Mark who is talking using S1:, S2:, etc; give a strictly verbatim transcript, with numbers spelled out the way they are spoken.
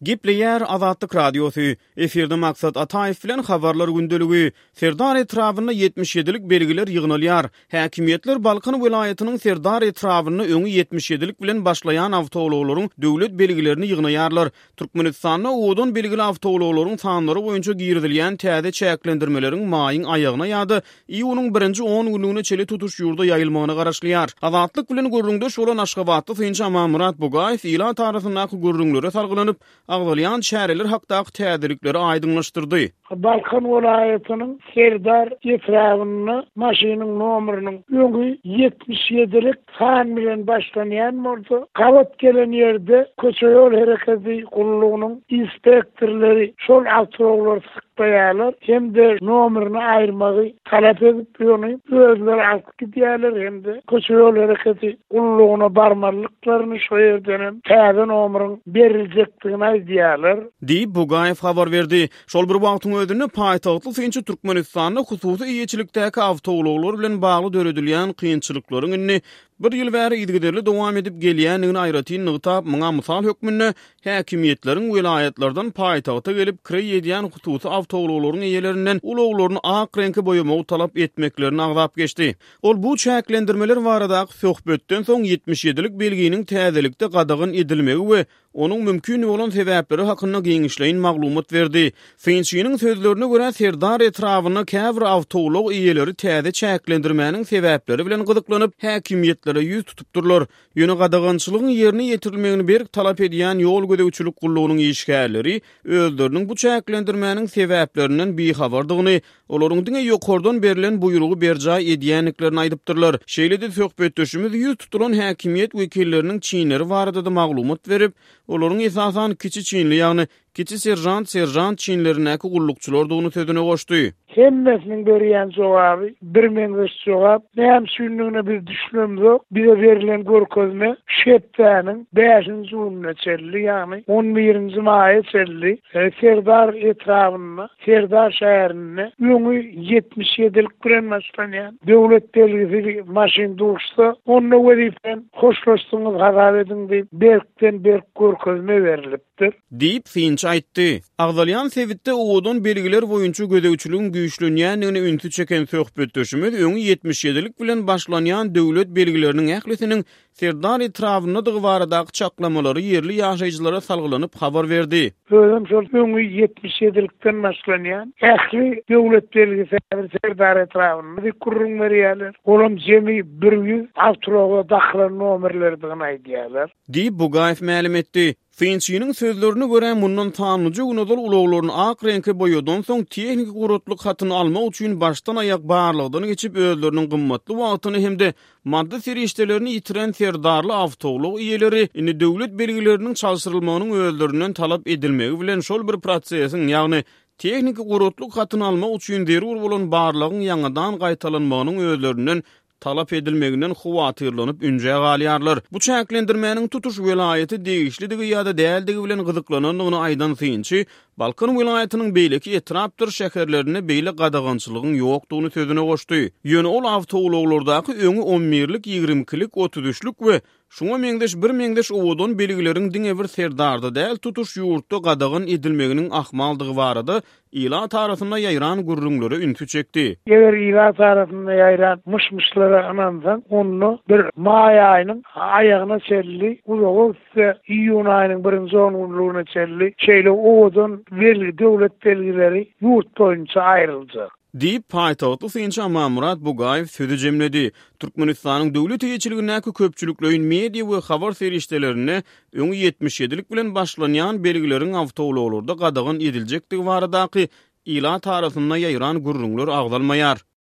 S1: Gepleýär Azatlyk Radiosy. Efirde Maksat Ataýew bilen Habarlar gündeligi. Serdar etrabynda ýetmiş ýedilik belgiler ýygnalýar. Häkimiýetler Balkan welaýatynyň Serdar etrabynda öňi ýetmiş ýedilik bilen başlaýan awtoulaglaryň döwlet belgilerini ýygnaýarlar. Türkmenistanda owadan belgili awtoulaglaryň sanlary boýunça girizilýän täze çäklendirmeleriň maýyň aýagyna ýa-da iýunyň birinji on günlügine çenli tutuş ýurda ýaýylmagyna garaşylýar. Azatlyk bilen gürrüňdeş bolan aşgabatly synçy Amanmyrat Bugaýew ilat arasyndaky gürrüňlere salgylanyp, agzalýan çäreler hakdaky täzelikleri aýdyňlaşdyrdy.
S2: Balkan welaýatynyň Serdar etrabynda maşynyň nomeriniň öňi ýetmiş ýedilik san bilen başlanýan bolsa, gabat gelen ýerde köçe ýol hereketi gullugynyň inspektorlary şol awtoulaglary saklaýarlar hem-de nomerini aýyrmagy talap edip, ony özleri alyp gidýärler hem-de köçe ýol hereketi gullugyna barmalyklaryny şo ýerden hem täze nomeriň beriljekdigini aýdýarlar.
S1: Diýip, Bugaýew habar berdi. Şol bir wagtyň özünde paýtagtly synçy Türkmenistanda hususy eýeçilikdäki awtoulaglar bilen bagly döredilýän kynçylyklaryň indi bir ýyl bäri yzygiderli dowam edip gelýändigini aýratyn nygtap, muňa mysal hökmünde häkimiýetleriň welaýatlardan paýtagta gelip kireý edýän hususy awtoulaglaryň eýelerinden ulaglaryny ak reňke boýamagy talap etmeklerini agzap geçdi. Ol bu çäklendirmeler baradaky söhbetden soň ýetmiş ýedilik belginiň täzelikde gadagan edilmegi we onuň mümkin bolan sebäpleri hakynda giňişleýin maglumat berdi. Synçynyň sözlerine görä, Serdar etrabynda käbir awtoulag eýeleri täze çäklendirmäniň sebäpleri bilen gyzyklanyp, häkimiýetlere ýüz tutupdyrlar. Ýöne gadagançylygyň ýerine ýetirilmegini berk talap edýän ýol gözegçilik gullugynyň işgärleri özleriniň bu çäklendirmäniň sebäplerinden bihabardygyny, olaryň diňe ýokardan berlen buýrugy berjaý edýändiklerini aýdypdyrlar. Şeýle-de söhbetdeşimiz ýüz tutulan häkimiýet wekilleriniň çinleri barada da maglumat berip, olaryň esasan kiçi çinli, ýagny kiçi serjant, serjant çinlerindäki gullukçylardygyny sözüne goşdy.
S2: Hemmesiniň berýän jogaby bir meňzeş jogap. Näme üçindigine biz düşünemzok. Bize berlen görkezme şepdäniň bäşinji gününe çenli, ýagny on birinji maýa çenli, e, Serdar etrabynda, Serdar şäherinde öňi ýetmiş ýedilik bilen başlanýan döwlet belgisi maşyn dursa, onda wezipen hoşlaşdyňyz hasap ediň diýip berkden berk görkezme berilipdir.
S1: Diýip synçy aýtdy. Agzalýan sebitde owadan belgiler boýunça gözegçiligiň güýçlenýändigini ünsi çeken söhbetdeşimiz öňi ýetmiş ýedilik bilen başlanýan döwlet belgileriniň ählisiniň Serdar etrabyndadygy baradaky çaklamalary ýerli ýaşaýjylara salgylanyp habar berdi.
S2: Özüm şol öňi ýetmiş ýedilikden başlanýan ähli döwlet belgisi Serdar etrabynda diýip gürrüň berýärler. Olam jemi bir ýüz awtoulaga dakylan nomerlerdigini aýdýarlar.
S1: Diýip Bugaýew mälim etdi. Synçynyň sözlerine görä, mundan sanlyja gün ozal ulaglaryny ak reňke boýadan soň tehniki guratlyk hatyny almak üçin başdan aýak barlagdan geçip özleriniň gymmatly wagtyny hem-de maddy serişdelerini ýitiren Serdarly awtoulag eýeleri indi döwlet belgileriniň çalşyrylmagynyň özlerinden talap edilmegi bilen şol bir prosesiň, ýagny tehniki guratlyk hatyny almak üçin zerur bolan barlagyň ýaňadan gaýtalanmagynyň özlerinden talap edilmeginden howatyrlanyp ünjä galýarlar. Bu çäklendirmäniň tutuş welaýaty degişlidigi ýa-da däldigi bilen gyzyklanandygyny aýdan synçy, Balkan welaýatynyň beýleki etrapdyr şäherlerinde beýle gadagançylygyň ýokdugyny sözüne goşdy. Ýöne ol awtoulaglardaky öňi on birlik, ýigrimi ikilik, otuz üçlük we şuňa meňzeş bir meňzeş owadan belgileriň diňe bir Serdarda däl, tutuş ýurtda gadagan edilmeginiň ahmaldygy barada ilat arasynda ýaýran gürrüňlere ünsi çekdi.
S2: Eger ilat arasynda ýaýran myş-myşlara ynansaň, onda bir maý aýynyň aýagyna çenli, uzaga gitse iýun aýynyň birinji on günlügine çenli şeýle owadan belgi, döwlet belgileri ýurt boýunça aýryljak.
S1: Diýip, paýtagtly synçy Amanmyrat Bugaýew sözü jemledi. Türkmenistanyň döwlet eýeçiligindäki köpçülikleýin media we habar serişdelerinde öňi ýetmiş ýedilik bilen başlanýan belgileriň awtoulaglarda gadagan ediljekdigi baradaky ilat arasynda ýaýran gürrüňler agzalmaýar.